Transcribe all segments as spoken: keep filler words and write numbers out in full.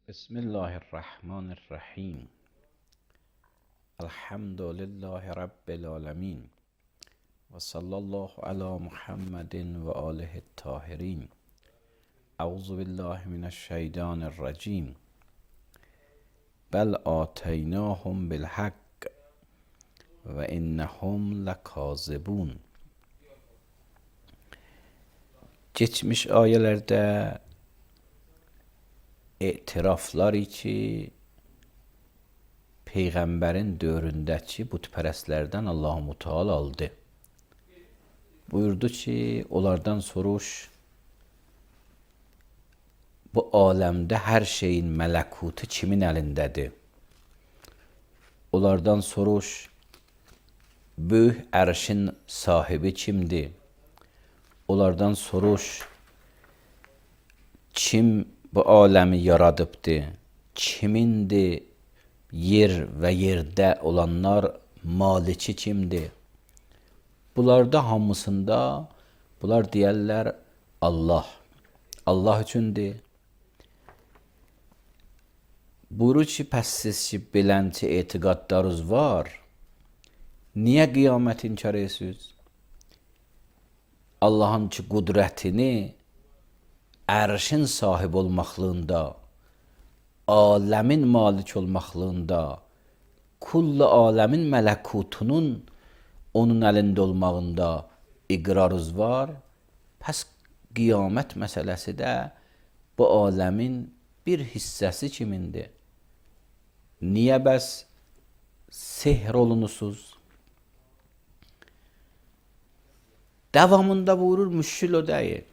بسم الله الرحمن الرحیم. الحمد لله رب العالمین و صلی الله علی محمد و آله الطاهرین. اعوذ بالله من الشیطان الرجیم. بل آتیناهم بالحق و انهم لکاذبون. Geçmiş ayelerde etiraflar ki Peyğəmbərin dövründəki butpərəstlərdən Allah-u Teala aldı. Buyurdu ki, onlardan soruş, bu aləmdə hər şeyin mələkutu kimin əlindədir? Onlardan soruş, böyük ərşin sahibi kimdir? Onlardan soruş, kim bu aləmi yaradıbdır? Kimindir yer və yerdə olanlar maliki kimdir? Bunlarda hamısında bunlar deyərlər Allah. Allah üçündür. Buyurur ki, pəs siz ki, belənçi etiqadlarınız var, niyə qiyamət inkar edirsiniz? Allahın ki, qudrətini ərşin sahib olmaqlığında, aləmin malik olmaqlığında, kullu aləmin mələkutunun onun əlində olmağında iqrarınız var. Pəs qiyamət məsələsi də bu aləmin bir hissəsi kimindir? Niyə bəs sehr olunusuz? Davamında buyurur, müşkül o deyil.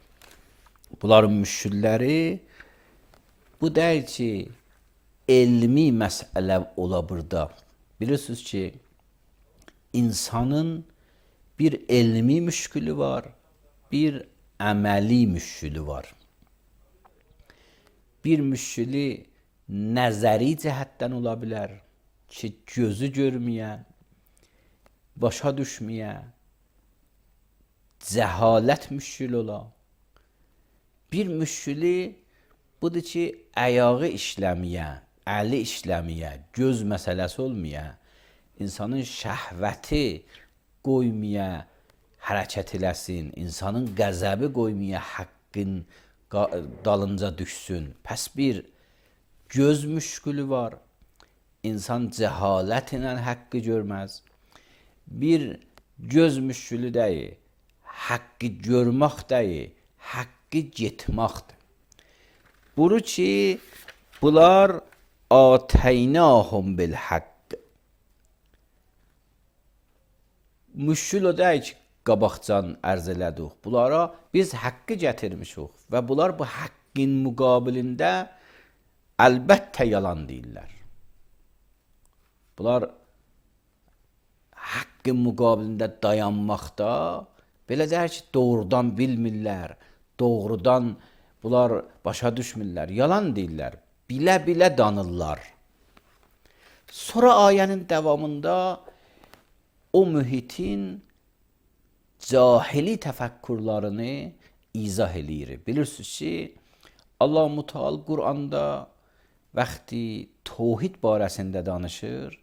Bunların müşkülləri bu deyil ki, elmi məsələ ola burada. Bilirsiniz ki, insanın bir elmi müşkülü var, bir əməli müşkülü var. Bir müşkülü nəzəri cəhətdən ola bilər ki, gözü görməyə, başa düşməyə, cəhalət müşkül ola. Bir müşkülü budur ki, ayağı işləməyə, əli işləməyə, göz məsələsi olmaya, insanın şəhvəti qoymaya hərəkət eləsin, insanın qəzəbi qoymaya haqqın dalınca düşsün. Pəs bir göz müşkülü var, insan cəhalət ilə haqqı görməz. Bir göz müşkülü deyil, haqqı görmək deyil, haqqı getməkdir. Buyurur ki, bunlar ateynahum bil haqq. Müşkül o deyil ki, qabaqcan ərz elədik. Bunlara biz haqqı gətirmişik və bunlar bu haqqın müqabilində əlbəttə yalan deyirlər. Bunlar haqqın müqabilində dayanmaqda belə deyir ki, doğrudan bilmirlər, doğrudan bunlar başa düşmürlər, yalan deyirlər, bilə-bilə danırlar. Sonra ayənin davamında o mühitin cahili təfəkkürlərini izah eləyir. Bilirsiniz ki, Allah-u Teala Quranda vaxtı tövhid barəsində danışır,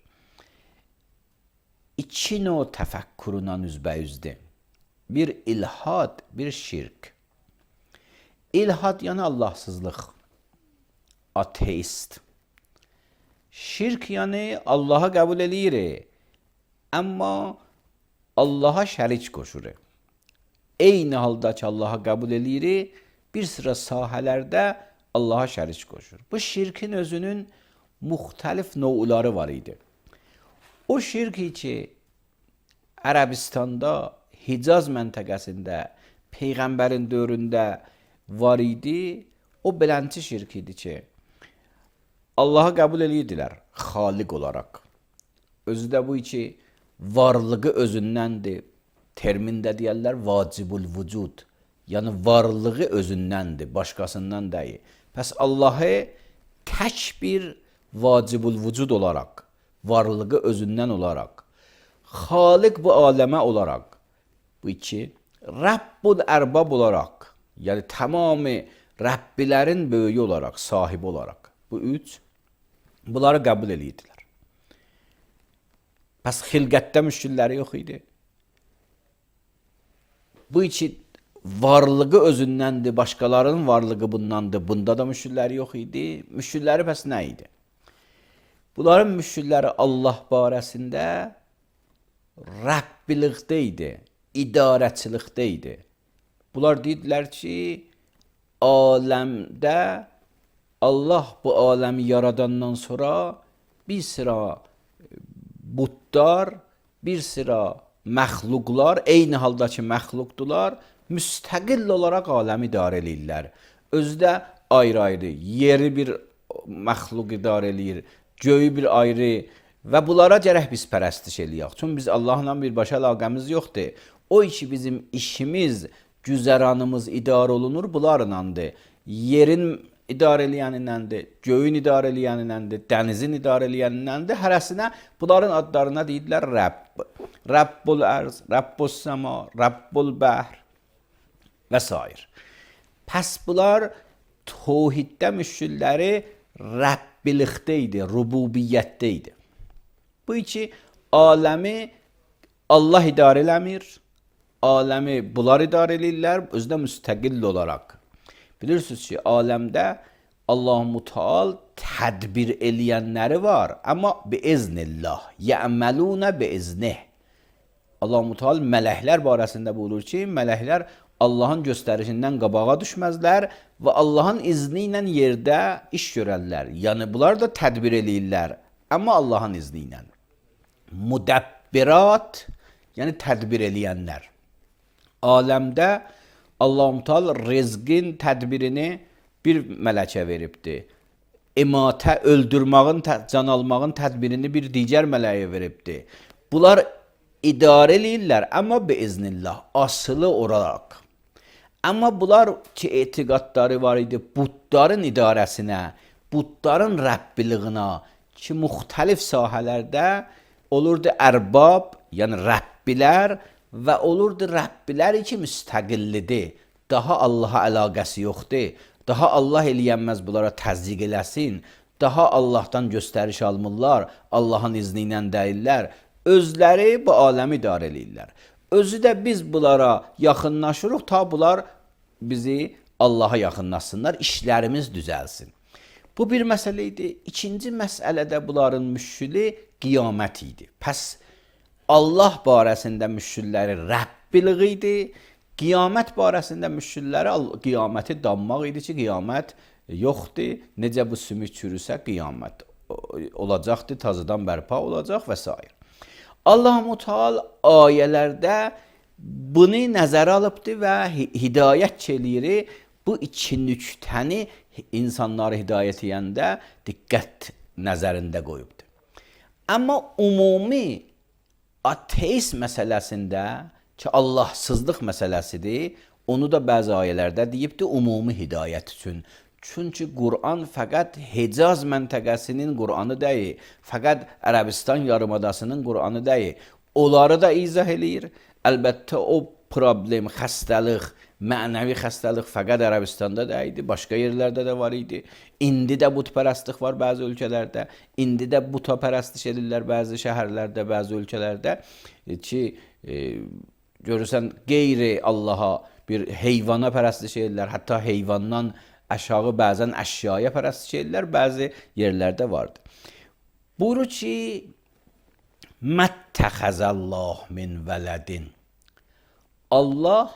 iki növ təfəkkürünə üzbəyüzdür. Bir ilhad, bir şirk. İlhad yəni Allahsızlıq, ateist. Şirk yəni Allah'a qəbul eləyir, Amma Allaha şərik qoşur. Eyni halda ki Allaha qəbul eləyirik, bir sıra sahələrdə Allaha şərik qoşur. Bu şirkin özünün müxtəlif növləri var idi. O şirki ki Ərəbistanda, Hicaz məntəqəsində, Peyğəmbərin dövründə var idi, o belənçi şirk idi ki, Allah'a qəbul edirdilər xaliq olaraq. Özü də bu ki, varlığı özündəndir. Termində deyərlər vacibul vücud. Yəni varlığı özündəndir, başqasından deyil. Pəs Allahı tək bir vacibul vücud olaraq, varlığı özündən olaraq, xaliq bu aləmə olaraq, bu iki, Rəbbul ərbab olaraq, yəni tamamı Rəbbilərin böyüyü olaraq, sahibi olaraq, bu üç, bunları qəbul edirdilər. Pəs xilqətdə müşkilləri yox idi. Bu iki varlığı özündəndir, başqalarının varlığı bundandır, bunda da müşkilləri yox idi. Müşkilləri pəs nə idi? Bunların müşkilləri Allah barəsində Rəbbilikdə idi, idarəçilikdə idi. Bunlar deyirlər ki, aləmdə Allah bu aləmi yaradandan sonra bir sıra butlar, bir sıra məxluqlar, eyni haldakı məxluqdular, müstəqil olaraq aləmi idarə edirlər. Özü də ayrı-ayrı, yeri bir məxluq idarə edir, göyü bir ayrı və bunlara gərək biz pərəstiş eləyək. Çünki biz Allahla birbaşa əlaqəmiz yoxdur. O ki bizim işimiz, güzəranımız idarə olunur bunlarındandır. Yerin idarə eləyənindəndir, göyün idarə eləyənindəndir, dənizin idarə eləyənindəndir. Hərəsinə bunların adlarına deyirlər Rəbb. Rəbbul ərz, Rəbbus səma, Rəbbul bəhr və s. Pəs bunlar təvhiddə müşkilləri Rəbbilikdə idi, rububiyyətdə idi. Bu iki aləmi Allah idarə eləmir, aləmi bunlar idarə edirlər, özü də müstəqil olaraq. Bilirsiniz ki, aləmdə Allah-u Teala tədbir eləyənləri var, amma biiznillah, yə'məlunə biiznih. Allah-u Teala mələklər barəsində buyurur ki, mələklər Allahın göstərişindən qabağa düşməzlər və Allahın izni ilə yerdə iş görərlər. Yəni bunlar da tədbir eləyirlər, amma Allahın izni ilə. Müdəbbirat, yəni tədbir eləyənlər. Aləmdə Allah-u Teala rizqin tədbirini bir mələkə veribdir. İmatə, öldürmağın, can almağın tədbirini bir digər mələyə veribdir. Bunlar idarə eləyirlər, amma biiznillah, asılı olaraq. Amma bunlar ki, etiqadları var idi, butların idarəsinə, butların Rəbbiliyinə ki, müxtəlif sahələrdə olurdu ərbab, yəni Rəbbilər və olurdu Rəbbilər ki, müstəqillidir. Daha Allaha əlaqəsi yoxdur. Daha Allah eləyənməz bunlara təzyiq eləsin. Daha Allahdan göstəriş almırlar, Allahın izni ilə deyirlər. Özləri bu aləmi idarə eləyirlər. Özü də biz bunlara yaxınlaşırıq, ta bunlar bizi Allaha yaxınlaşsınlar, işlərimiz düzəlsin. Bu bir məsələ idi. İkinci məsələdə bunların müşkili qiyamət idi. Pəs Allah barəsində müşkilləri Rəbbilik idi. Qiyamət barəsində müşkilləri qiyaməti danmaq idi ki, qiyamət yoxdur. Necə bu sümük çürüsə qiyamət olacaqdır, tazıdan bərpa olacaq və s. Allah-u Teala ayələrdə bunu nəzərə alıbdır və hidayət eləyir. Bu iki nüktəni insanları hidayət edəndə diqqət nəzərində qoyubdur. Amma ümumi ateist məsələsində ki, Allahsızlıq məsələsidir, onu da bəzi ayələrdə deyibdir ümumi hidayət üçün. Çünki Quran fəqət Hicaz məntəqəsinin Quranı deyil, fəqət Ərəbistan yarımadasının Quranı deyil. Onları da izah eləyir. Əlbəttə o problem, xəstəlik, mənəvi xəstəlik fəqət Ərəbistanda deyildi, başqa yerlərdə də var idi. İndi də butpərəstlik var bəzi ölkələrdə, indi də butapərəstlik edirlər bəzi şəhərlərdə, bəzi ölkələrdə ki, e, görürsən qeyri Allaha bir heyvana pərəstlik edirlər, hətta heyvandan aşağı bəzən əşyaya pərəstlik edirlər, bəzi yerlərdə vardır. Buyurur ki, Məttəxəzəllah min vələdin. Allah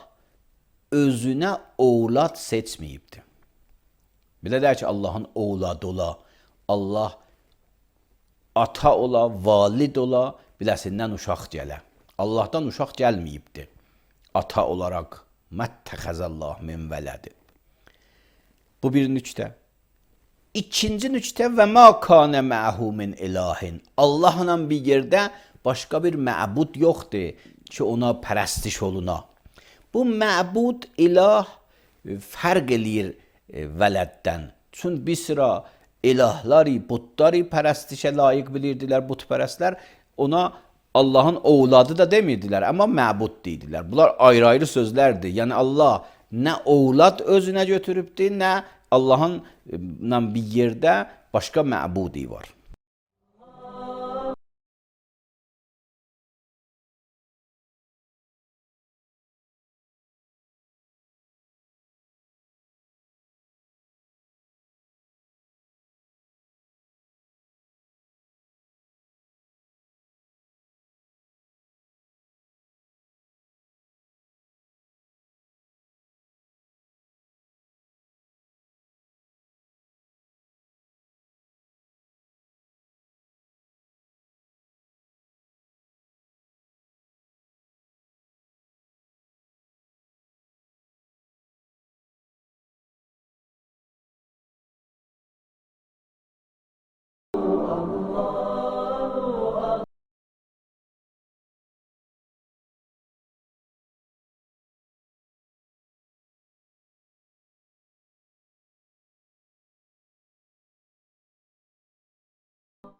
özünə oğlad seçməyibdir. Belə deyək ki, Allahın oğladı ola, Allah ata ola, valid ola, biləsindən uşaq gələ. Allahdan uşaq gəlməyibdir. Ata olaraq məttəxəzəllah min vələdin. Bu bir nüktə. İkinci nüktə və mə kanə məhu min ilahin. Allahla bir yerdə başqa bir məbud yoxdur ki, ona pərəstiş oluna. Bu məbud ilah fərq eləyir vələddən. Çün bir sıra ilahları, butları pərəstişə layiq bilirdilər butpərəstlər. Ona Allahın oğladı da demirdilər, amma məbud deyirdilər. Bunlar ayrı-ayrı sözlərdir. Yəni Allah nə oğlad özünə götürübdür, nə Allahın bir yerdə başqa məbudi var.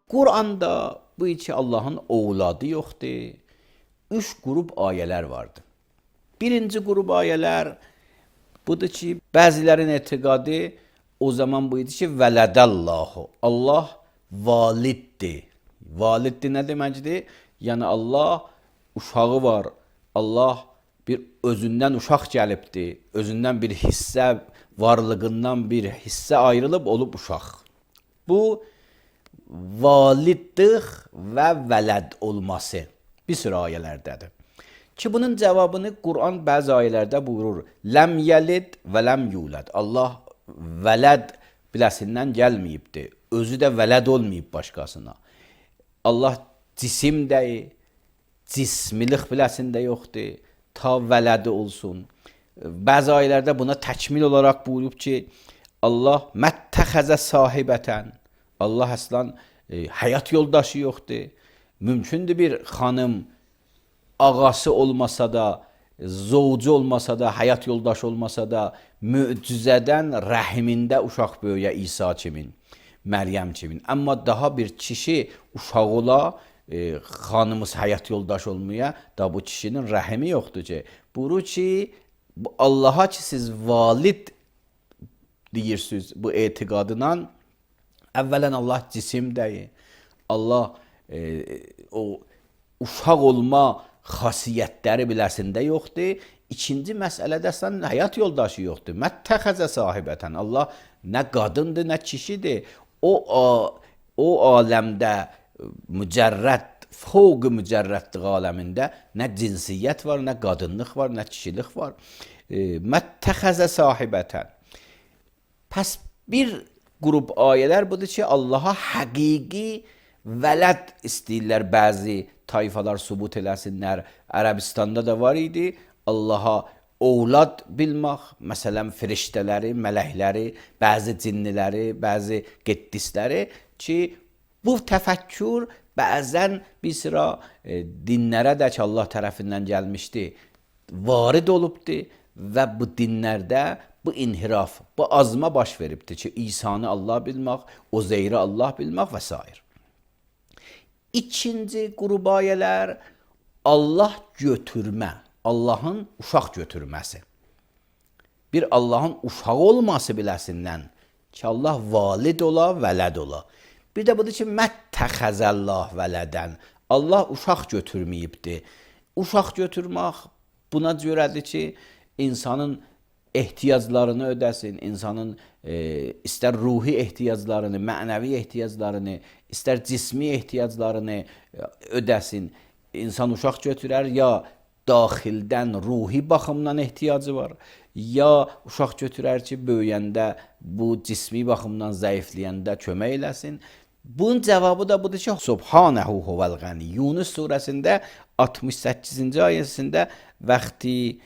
Quranda bu iki Allahın oğladı yoxdur. Üç qrup ayələr vardır. Birinci qrup ayələr budur ki, bəzilərin etiqadı o zaman bu idi ki, vələdəllahu. Allah validdir. Validdir nə deməkdir? Yəni Allah uşağı var. Allah bir özündən uşaq gəlibdir. Özündən bir hissə, varlığından bir hissə ayrılıb olub uşaq. Bu validlik və vələd olması bir sürü ayələrdədir. Ki bunun cavabını Quran bəzi ayələrdə buyurur. Ləm yəlid və ləm yulad. Allah vələd biləsindən gəlməyibdir. Özü də vələd olmayıb başqasına. Allah cisim deyil, cismilik biləsində yoxdur. Ta vələdi olsun. Bəzi ayələrdə buna təkmil olaraq buyurub ki, Allah məttəxəzə sahibətən. Allah əslən e, həyat yoldaşı yoxdur. Mümkündür bir xanım ağası olmasa da, zovcu olmasa da, həyat yoldaşı olmasa da, möcüzədən rəhimində uşaq böyüyə İsa kimin, Məryəm kimin. Amma daha bir kişi uşaq ola, e, xanımız həyat yoldaşı olmaya, da bu kişinin rəhimi yoxdur ki. Buyurur ki, Allaha ki siz valid deyirsiniz bu etiqadından, əvvələn Allah cisim deyil. Allah e, o uşaq olma xasiyyətləri biləsində yoxdur. İkinci məsələdə sən həyat yoldaşı yoxdur. Məttəxəzə sahibətən. Allah nə qadındır, nə kişidir. O, o aləmdə mücərrəd, fövq mücərrədlik aləmində nə cinsiyyət var, nə qadınlıq var, nə kişilik var. E, Məttəxəzə sahibətən. Pəs bir qrup ayələr budur ki, Allaha həqiqi vələd istəyirlər bəzi tayfalar sübut eləsinlər. Ərəbistanda da var idi. Allaha oğlad bilmək, məsələn, firiştələri, mələkləri, bəzi cinniləri, bəzi qəddisləri ki, bu təfəkkür bəzən bir sıra e, dinlərə də ki, Allah tərəfindən gəlmişdi, varid olubdur və bu dinlərdə bu inhiraf, bu azma baş veribdir ki, İsa'nı Allah bilmək, Uzeyri Allah bilmək və s. İkinci qrup ayələr Allah götürmə, Allahın uşaq götürməsi. Bir Allahın uşağı olması biləsindən ki, Allah valid ola, vələd ola. Bir də budur ki, məttəxəzəllah vələdən. Allah uşaq götürməyibdir. Uşaq götürmək buna görədir ki, insanın ehtiyaclarını ödəsin, insanın e, istər ruhi ehtiyaclarını, mənəvi ehtiyaclarını, istər cismi ehtiyaclarını ödəsin. İnsan uşaq götürər, ya daxildən ruhi baxımdan ehtiyacı var, ya uşaq götürər ki, böyüyəndə bu cismi baxımdan zəifləyəndə kömək eləsin. Bunun cavabı da budur ki, Subhanehu huvel gani. Yunus surəsində altmış səkkizinci ayəsində vaxtı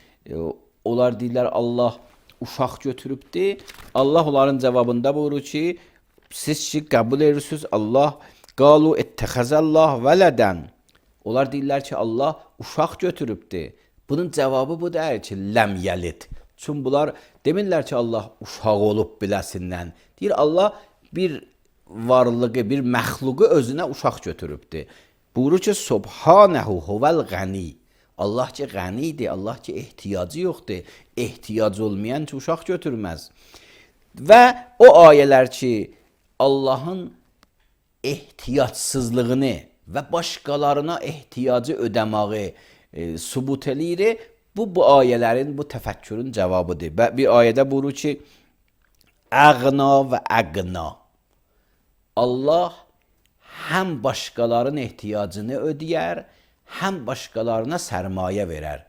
onlar deyirlər Allah uşaq götürübdür. Allah onların cavabında buyurur ki, siz ki qəbul edirsiniz Allah qalu ittəxəzəllah vələdən. Onlar deyirlər ki, Allah uşaq götürübdür. Bunun cavabı bu deyir ki, ləm yəlid. Çünki bunlar demirlər ki, Allah uşaq olub biləsindən. Deyir Allah bir varlığı, bir məxluqu özünə uşaq götürübdür. Buyurur ki, Subhanehu huvel gani. Allah ki qənidir, Allah ki ehtiyacı yoxdur. Ehtiyac olmayan ki uşaq götürməz. Və o ayələr ki Allahın ehtiyacsızlığını və başqalarına ehtiyacı ödəməyi e, subut eləyir. Bu, bu ayələrin, bu təfəkkürün cavabıdır. Və bir ayədə buyurur ki, əğna və əqna. Allah həm başqalarının ehtiyacını ödəyər, həm başqalarına sərmayə verər.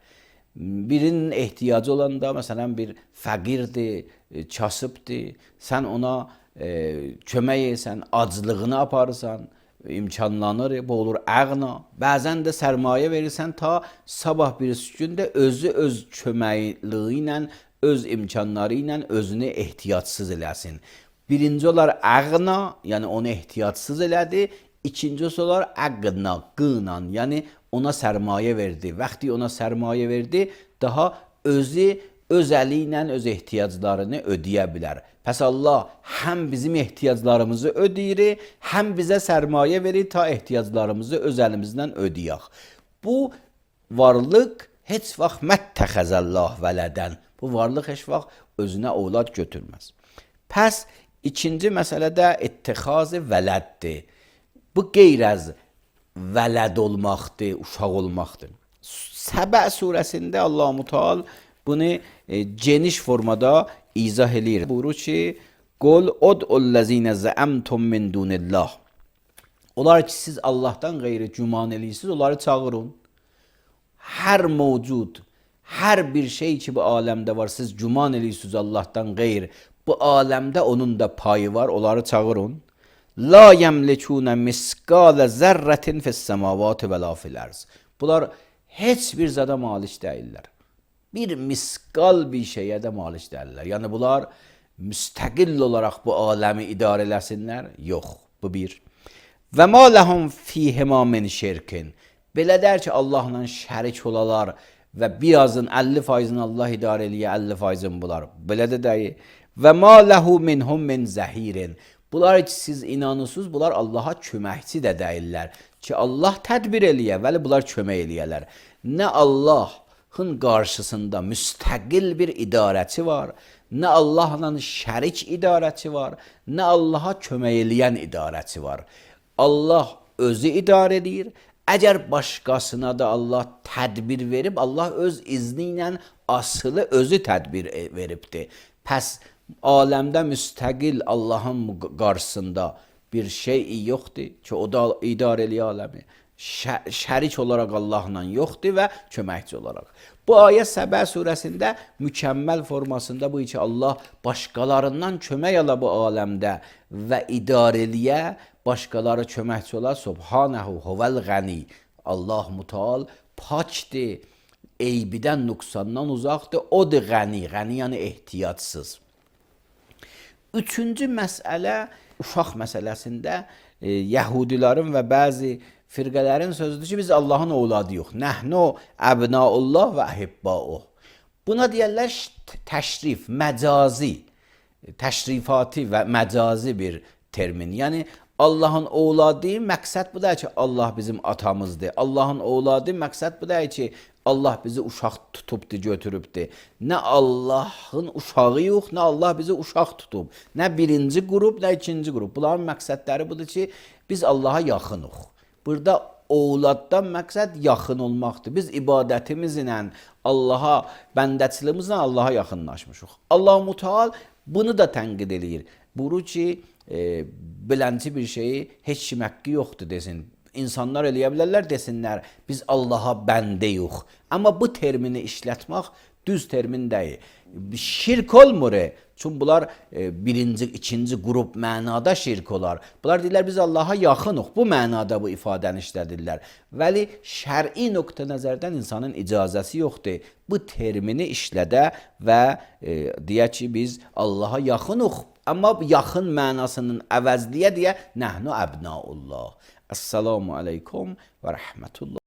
Birinin ehtiyacı olanda, məsələn, bir fəqirdir, kasıbdır, sən ona e, kömək etsən, aclığını aparırsan, imkanlanır, bu olur əğna. Bəzən də sərmayə verirsən ta sabah birisi gündə özü öz köməkliyi ilə, öz imkanları ilə özünü ehtiyacsız eləsin. Birinci olar əğna, yəni onu ehtiyacsız elədi. İkincisi olar əqna, qınan, yəni ona sərmayə verdi. Vaxtı ona sərmayə verdi, daha özü öz əli ilə öz ehtiyaclarını ödəyə bilər. Pəs Allah həm bizim ehtiyaclarımızı ödəyir, həm bizə sərmayə verir ta ehtiyaclarımızı öz əlimizdən ödəyək. Bu varlıq heç vaxt məttəxəzəllah vələdən. Bu varlıq heç vaxt özünə ovlad götürməz. Pəs ikinci məsələ də ittixazı vələddir. Bu qeyr az vələd olmaqdır, uşaq olmaqdır. Səbə surəsində Allah-u Teala bunu e, geniş formada izah eləyir. Buyurur ki, Qul ud'ullezine zəəmtum min dunillah. Onlar ki siz Allahdan qeyri güman eləyirsiniz, onları çağırın. Hər mövcud, hər bir şey ki bu aləmdə var, siz güman eləyirsiniz Allahdan qeyr, bu aləmdə onun da payı var, onları çağırın. La yemlikune miskale zerretin fis-semavat və la fil-arz. Bunlar heç bir zada malik deyirlər. Bir miskal bir şeyə də malik deyirlər. Yəni bunlar müstəqil olaraq bu aləmi idarə eləsinlər? Yox, bu bir. Və ma ləhum fihima min şirkin. Belə der ki, Allahla şərik olalar və birazın əlli faizini Allah idarə eləyə, əlli faizini bunlar. Belə də deyir. Və ma ləhu minhum min zəhirin. Bunlar ki siz inanırsınız, bunlar Allaha köməkçi də deyirlər. Ki Allah tədbir eləyə, vəli bunlar kömək eləyərlər. Nə Allahın qarşısında müstəqil bir idarəçi var, nə Allahla şərik idarəçi var, nə Allaha kömək eləyən idarəçi var. Allah özü idarə edir. Əgər başqasına da Allah tədbir verib, Allah öz izni ilə asılı özü tədbir veribdir. Pəs aləmdə müstəqil Allahın qarşısında bir şey yoxdur ki, o da idarə eləyə aləmi. Şərik olaraq Allahla yoxdur və köməkçi olaraq. Bu ayə Səbə surəsində mükəmməl formasında bu ki, Allah başqalarından kömək ala bu aləmdə və idarə eləyə, başqaları köməkçi olar. Subhanehu huvel gani. Allah Müteal pakdır, eybidən, nüqsandan uzaqdır. Odur gani, gani yəni ehtiyacsız. Üçüncü məsələ, uşaq məsələsində e, Yəhudilərin və bəzi firqələrin sözüdür ki, biz Allahın ovladı yox. Nəhnu əbnaullah və əhibbauh. Buna deyərlər təşrif, məcazi, təşrifati və məcazi bir termin. Yəni Allahın ovladı məqsəd bu da ki, Allah bizim atamızdır. Allahın ovladı məqsəd bu da ki, Allah bizi uşaq tutubdur, götürübdür. Nə Allahın uşağı yox, nə Allah bizi uşaq tutub. Nə birinci qrup, nə ikinci qrup. Bunların məqsədləri budur ki, biz Allaha yaxınıq. Burada ovladdan məqsəd yaxın olmaqdır. Biz ibadətimizlə Allaha, bəndəçilimizlə Allaha yaxınlaşmışıq. Allah Müteal bunu da tənqid eləyir. Buyurur ki, e, bilənci bir şeyi heç kim haqqı yoxdur desin. İnsanlar eləyə bilərlər desinlər, biz Allaha bəndə yox. Amma bu termini işlətmək düz termin deyil. Şirk olmur. Çünki bunlar e, birinci, ikinci qrup mənada şirk olar. Bunlar deyirlər, biz Allaha yaxınıq. Bu mənada bu ifadəni işlədirlər. Vəli şər'i nöqtə nəzərdən insanın icazəsi yoxdur. Bu termini işlədə və e, deyə ki, biz Allaha yaxınıq. Amma yaxın mənasının əvəzliyə deyə nəhnu əbnaullah. Esselamu aleykum və rəhmətullah.